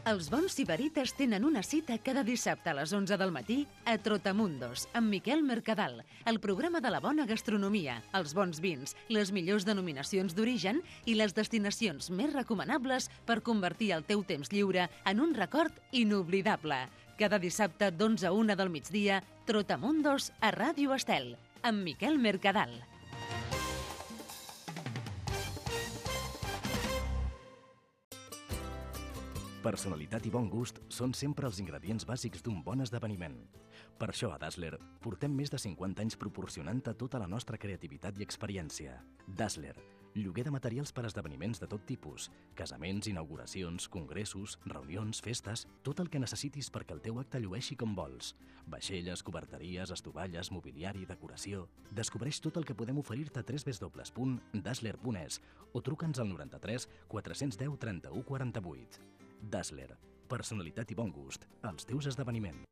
Els bons sibarites tenen una cita cada dissabte a les 11 del matí a Trotamundos, amb Miquel Mercadal, el programa de la bona gastronomia, els bons vins, les millors denominacions d'origen i les destinacions més recomanables per convertir el teu temps lliure en un record inoblidable. Cada dissabte d'11 a 1 del migdia, Trotamundos a Ràdio Estel, amb Miquel Mercadal. Personalitat i bon gust són sempre els ingredients bàsics d'un bon esdeveniment. Per això a Dazzler portem més de 50 anys proporcionant-te tota la nostra creativitat i experiència. Dazzler, lloguer de materials per a esdeveniments de tot tipus, casaments, inauguracions, congressos, reunions, festes, tot el que necessitis perquè el teu acte llueixi com vols. Vaixelles, coberteries, estovalles, mobiliari, decoració... Descobreix tot el que podem oferir-te a www.dazzler.es o truca'ns al 93 410 31 48. Dazzler, personalitat i bon gust als teus esdeveniments.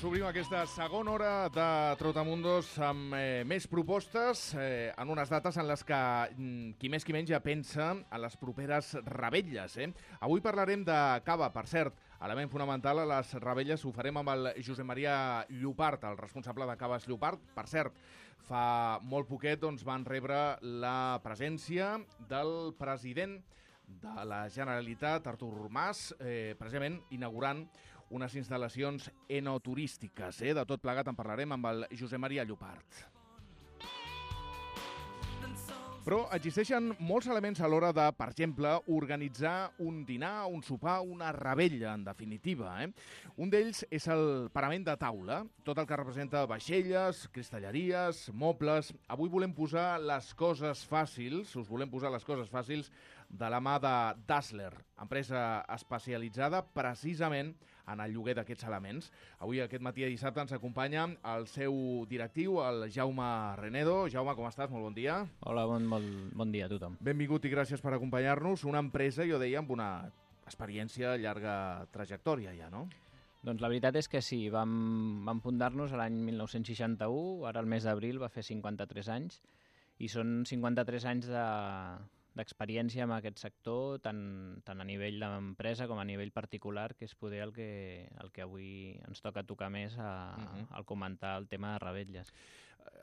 Obrim aquesta segona hora de Trotamundos amb més propostes en unes dates en les que qui més qui menys ja pensa en les properes revetlles. Avui parlarem de cava, per cert, element fonamental a les revetlles. Ho farem amb el Josep Maria Llopart, el responsable de Caves Llopart. Per cert, fa molt poquet van rebre la presència del president de la Generalitat, Artur Mas, precisament inaugurant unes instal·lacions enoturístiques. De tot plegat en parlarem amb el Josep Maria Llopart. Però existeixen molts elements a l'hora de, per exemple, organitzar un dinar, un sopar, una revetlla, en definitiva. Un d'ells és el parament de taula, tot el que representa vaixelles, cristalleries, mobles. Avui volem posar les coses fàcils, us volem posar les coses fàcils de la mà de Dazzler, empresa especialitzada precisament en el lloguer d'aquests elements. Avui, aquest matí de dissabte, ens acompanya el seu directiu, el Jaume Renedo. Jaume, com estàs? Molt bon dia. Hola, bon dia a tothom. Benvingut i gràcies per acompanyar-nos. Una empresa, jo deia, amb una experiència, llarga trajectòria ja, no? Doncs la veritat és que sí, vam fundar-nos l'any 1961, ara el mes d'abril va fer 53 anys, i són 53 anys d'experiència en aquest sector, tant a nivell d'empresa com a nivell particular, que és poder el que avui ens tocar més al comentar el tema de revetlles.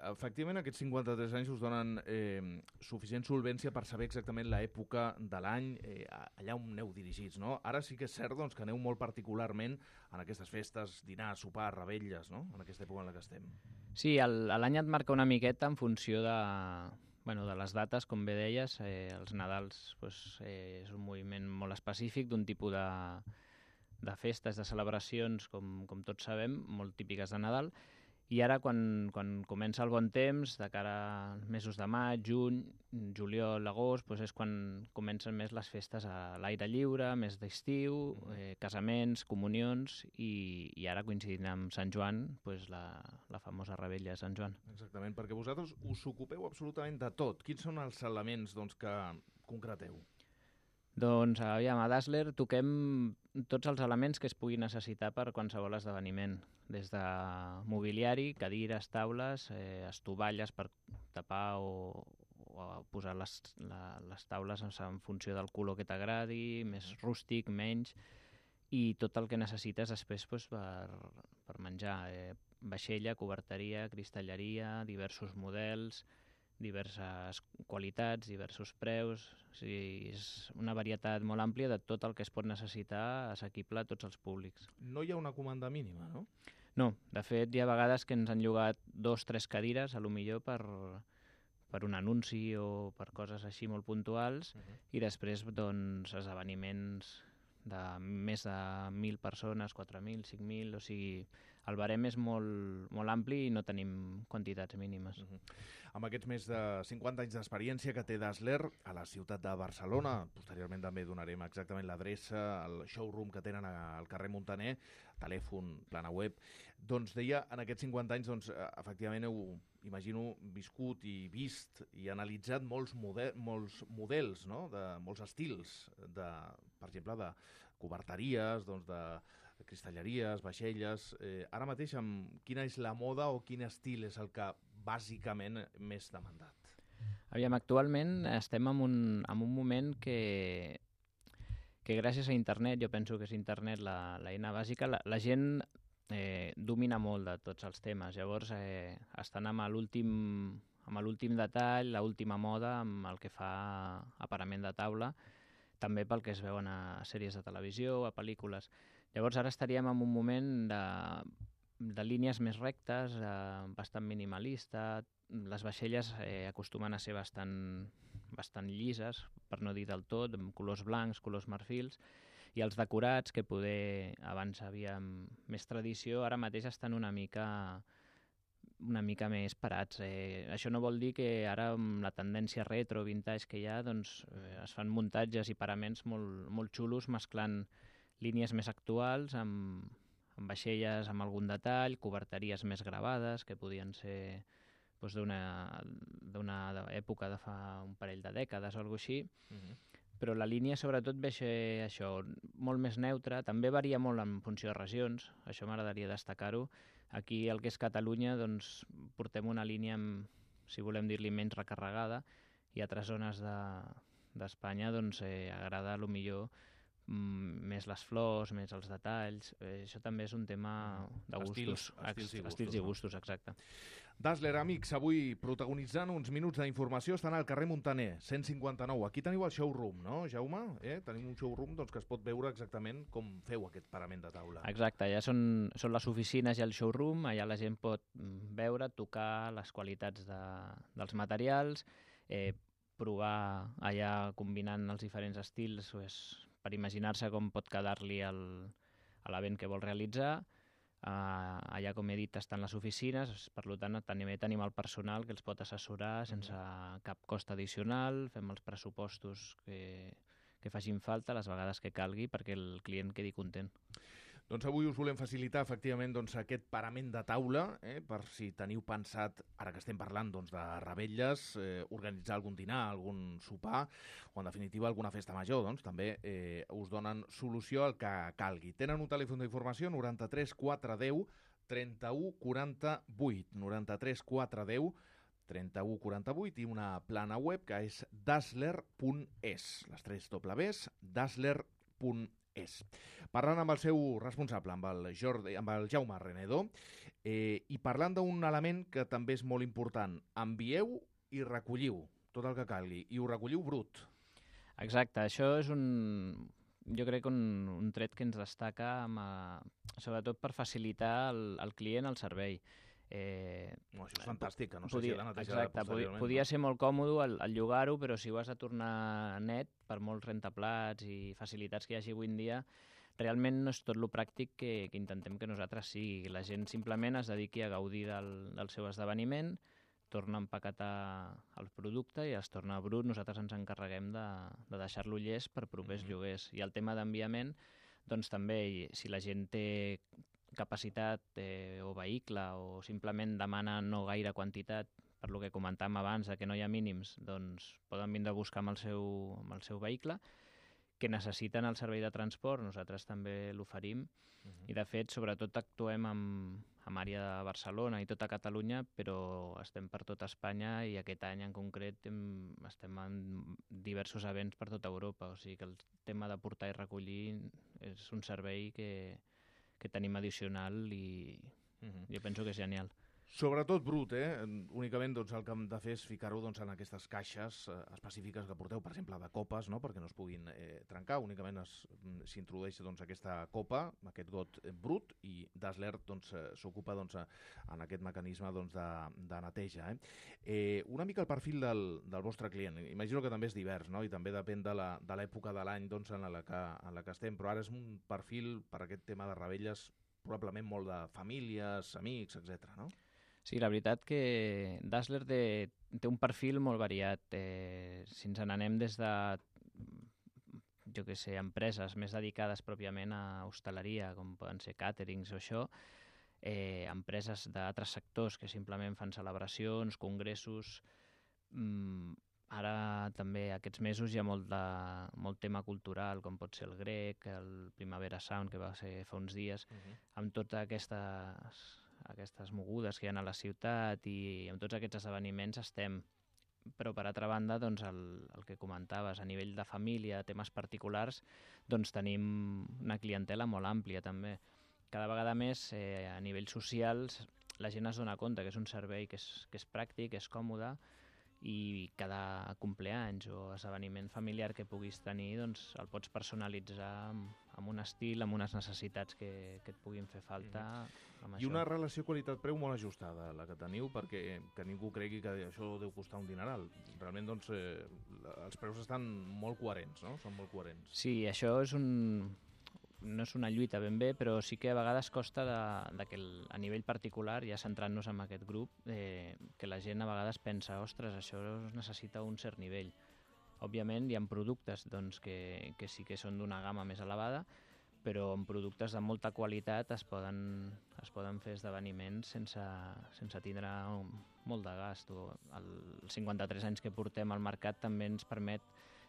Efectivament, aquests 53 anys us donen suficient solvència per saber exactament l'època de l'any, allà on aneu dirigits, no? Ara sí que és cert que aneu molt particularment en aquestes festes, dinar, sopar, revetlles, no? En aquesta època en la que estem. Sí, l'any et marca una miqueta en funció de les dates, com bé deies. Els Nadals és un moviment molt específic d'un tipus de festes, de celebracions, com tots sabem, molt típiques de Nadal. I ara, quan comença el bon temps, de cara als mesos de maig, juny, juliol, agost, és quan comencen més les festes a l'aire lliure, més d'estiu, casaments, comunions, i ara coincidint amb Sant Joan, la famosa revetlla de Sant Joan. Exactament, perquè vosaltres us ocupeu absolutament de tot. Quins són els elements que concreteu? Doncs, aviam, a Dazzler toquem tots els elements que es pugui necessitar per qualsevol esdeveniment, des de mobiliari, cadires, taules, estovalles per tapar o posar les taules en funció del color que t'agradi, més rústic, menys, i tot el que necessites després per menjar. Vaixella, coberteria, cristalleria, diversos models, diverses qualitats, diversos preus. O sigui, és una varietat molt àmplia de tot el que es pot necessitar assequible a tots els públics. No hi ha una comanda mínima, no? No, de fet hi ha vegades que ens han llogat 2-3 cadires, a lo millor per un anunci o per coses així molt puntuals, i després esdeveniments de més de 1.000 persones, 4.000, 5.000, o sigui, el barem és molt ampli i no tenim quantitats mínimes. Amb aquests més de 50 anys d'experiència que té Dazzler a la ciutat de Barcelona, posteriorment també donarem exactament l'adreça, el showroom que tenen al carrer Muntaner, telèfon, plana web, doncs deia, en aquests 50 anys, doncs, efectivament heu, imagino, viscut i vist i analitzat molts models, no? De molts estils, per exemple, de coberteries, doncs, de cristalleries, vaixelles. Ara mateix, quina és la moda o quin estil és el que bàsicament més demandat? Aviam, actualment estem en un moment que gràcies a internet, jo penso que és internet l'eina bàsica, la gent domina molt de tots els temes. Llavors estan amb l'últim detall, l'última moda, amb el que fa a parament de taula, també pel que es veuen a sèries de televisió, a pel·lícules. Llavors ara estaríem en un moment de línies més rectes, bastant minimalista. Les vaixelles acostumen a ser bastant llises, per no dir del tot, amb colors blancs, colors marfils, i els decorats, que poder abans havia més tradició, ara mateix estan una mica més parats. Això no vol dir que ara amb la tendència retro, vintage que hi ha, doncs, es fan muntatges i paraments molt xulos, mesclant línies més actuals amb vaixelles amb algun detall, coberteries més gravades, que podien ser doncs, d'una època de fa un parell de dècades o alguna cosa així. Però la línia sobretot ve això, molt més neutra, també varia molt en funció de regions, això m'agradaria destacar-ho. Aquí, el que és Catalunya, doncs, portem una línia, si volem dir-li, menys recarregada, i altres zones d'Espanya doncs, agrada millor més les flors, més els detalls. Això també és un tema de gustos. Estils i gustos, exacte. Dazzler, amics, avui protagonitzant uns minuts d'informació, estan al carrer Muntaner, 159. Aquí teniu el showroom, no, Jaume? Tenim un showroom doncs, que es pot veure exactament com feu aquest parament de taula. Exacte, allà són les oficines i el showroom, allà la gent pot veure, tocar les qualitats dels materials, provar allà combinant els diferents estils per imaginar-se com pot quedar-li a l'event que vol realitzar. Allà, com he dit, estan les oficines, per tant també tenim el personal que els pot assessorar sense cap cost addicional, fem els pressupostos que facin falta les vegades que calgui perquè el client quedi content. Doncs avui us volem facilitar efectivament aquest parament de taula, per si teniu pensat, ara que estem parlant de revetlles, organitzar algun dinar, algun sopar o en definitiva alguna festa major, doncs també us donen solució al que calgui. Tenen un telèfon d'informació 93 410 31 48, 93 410 31 48 i una plana web que és dazzler.es, les 3 Ws, dazzler.es. Parlant amb el seu responsable, amb el Jaume Renedo, i parlant d'un element que també és molt important, envieu i recolliu tot el que calgui, i ho recolliu brut. Exacte, això és jo crec un tret que ens destaca, sobretot per facilitar al client el servei. Això és fantàstic, que no sé si l'ha netejat posteriorment. Podia ser molt còmode el llogar-ho, però si ho has de tornar net, per molts rentaplats i facilitats que hi hagi avui en dia, realment no és tot lo pràctic que intentem que nosaltres sigui. La gent simplement es dediqui a gaudir del seu esdeveniment, torna a empaquetar el producte i es torna brut. Nosaltres ens encarreguem de deixar-lo llest per propers lloguers. I el tema d'enviament, doncs també, si la gent té capacitat o vehicle o simplement demana no gaire quantitat, per lo que comentàvem abans, que no hi ha mínims, doncs poden vindre a buscar amb el seu vehicle, que necessiten el servei de transport, nosaltres també l'oferim, i de fet sobretot actuem en àrea de Barcelona i tota Catalunya, però estem per tota Espanya i aquest any en concret estem en diversos events per tota Europa, o sigui que el tema de portar i recollir és un servei que tenim addicional i jo penso que és genial. Sobretot brut, únicament el que hem de fer és ficar-ho en aquestes caixes específiques que porteu, per exemple, de copes, no?, perquè no es puguin trencar. Únicament s'introdueix aquesta copa, aquest got brut, i Dazzler s'ocupa en aquest mecanisme de neteja. Una mica el perfil del vostre client. Imagino que també és divers, no?, i també depèn de l'època de l'any en la que estem, però ara és un perfil per aquest tema de revetlles probablement molt de famílies, amics, etc. no? Sí, la veritat que Dazzler té un perfil molt variat. Si ens n'anem des de, jo què sé, empreses més dedicades pròpiament a hostaleria, com poden ser càterings o això, empreses d'altres sectors que simplement fan celebracions, congressos. Ara també aquests mesos hi ha molt tema cultural, com pot ser el Grec, el Primavera Sound, que va ser fa uns dies, amb totes aquestes mogudes que hi ha a la ciutat i amb tots aquests esdeveniments estem. Però, per altra banda, doncs, el que comentaves, a nivell de família, temes particulars, doncs tenim una clientela molt àmplia també. Cada vegada més, a nivell social, la gent es dona compte que és un servei que és pràctic, és còmode, i cada compleanys o esdeveniment familiar que puguis tenir doncs el pots personalitzar amb un estil, amb unes necessitats que et puguin fer falta. I una relació qualitat-preu molt ajustada, la que teniu, perquè que ningú cregui que això deu costar un dineral. Realment doncs, els preus estan molt coherents, no? Són molt coherents. Sí, això no és una lluita ben bé, però sí que a vegades costa que a nivell particular, ja centrant-nos en aquest grup, que la gent a vegades pensa, ostres, això necessita un cert nivell. Òbviament hi ha productes doncs, que sí que són d'una gamma més elevada, però en productes de molta qualitat es poden fer esdeveniments sense tindre molt de gast. Els 53 anys que portem al mercat també ens permet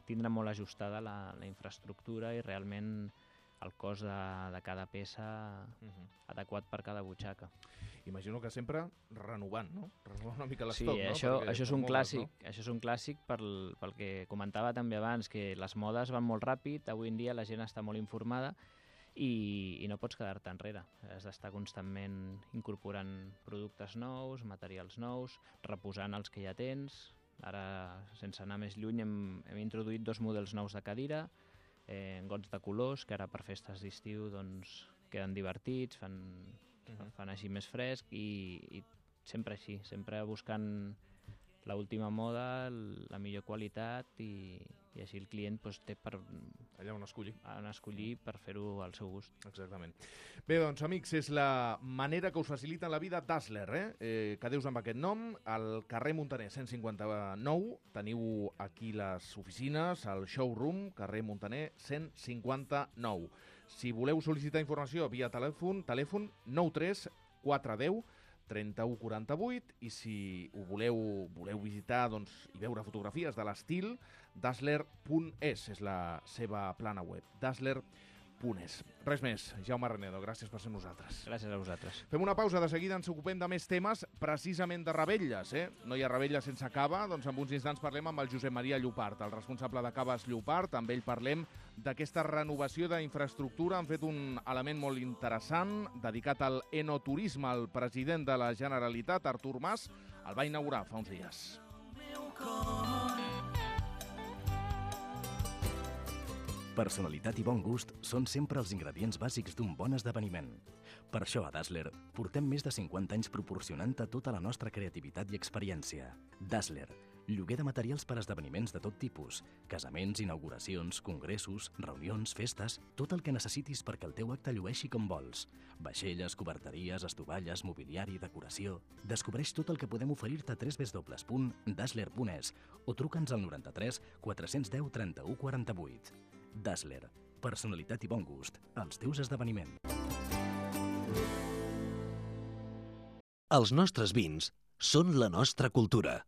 tindre molt ajustada la infraestructura i realment el cost de cada peça adequat per cada butxaca. Imagino que sempre renovant, no? Renovant una mica l'estoc, sí, no? Això és un clàssic, no? Això és un clàssic pel que comentava també abans, que les modes van molt ràpid, avui en dia la gent està molt informada i no pots quedar-te enrere. Has d'estar constantment incorporant productes nous, materials nous, reposant els que ja tens. Ara, sense anar més lluny, hem introduït 2 models nous de cadira, gots de colors, que ara per festes d'estiu doncs, queden divertits, fan així més fresc i sempre així, sempre buscant l'última moda, la millor qualitat i així el client doncs, té allà on escollir per fer-ho al seu gust. Exactament. Bé, doncs, amics, és la manera que us facilita la vida Dazzler, quedeu-vos amb aquest nom. Al carrer Muntaner 159 teniu aquí les oficines, el showroom, carrer Muntaner 159. Si voleu sol·licitar informació via telèfon 93 410 3148 i si ho voleu visitar i veure fotografies de l'estil, dazzler.es és la seva plana web, dazzler.es. Res més, Jaume Renedo, gràcies per ser nosaltres. Gràcies a vosaltres. Fem una pausa, de seguida ens ocupem de més temes, precisament de revetlles. No hi ha revetlles sense cava, doncs en uns instants parlem amb el Josep Maria Llopart, el responsable de Caves Llopart. Amb ell parlem d'aquesta renovació d'infraestructura. Han fet un element molt interessant dedicat al enoturisme. El president de la Generalitat, Artur Mas, el va inaugurar fa uns dies. Personalitat i bon gust són sempre els ingredients bàsics d'un bon esdeveniment. Per això a Dazzler portem més de 50 anys proporcionant-te tota la nostra creativitat i experiència. Dazzler, lloguer de materials per a esdeveniments de tot tipus, casaments, inauguracions, congressos, reunions, festes, tot el que necessitis perquè el teu acte llueixi com vols. Vaixelles, coberteries, estovalles, mobiliari, decoració... Descobreix tot el que podem oferir-te a www.dazzler.es o truca'ns al 93 410 31 48. Dazzler, personalitat i bon gust, als teus esdeveniments. Els nostres vins són la nostra cultura.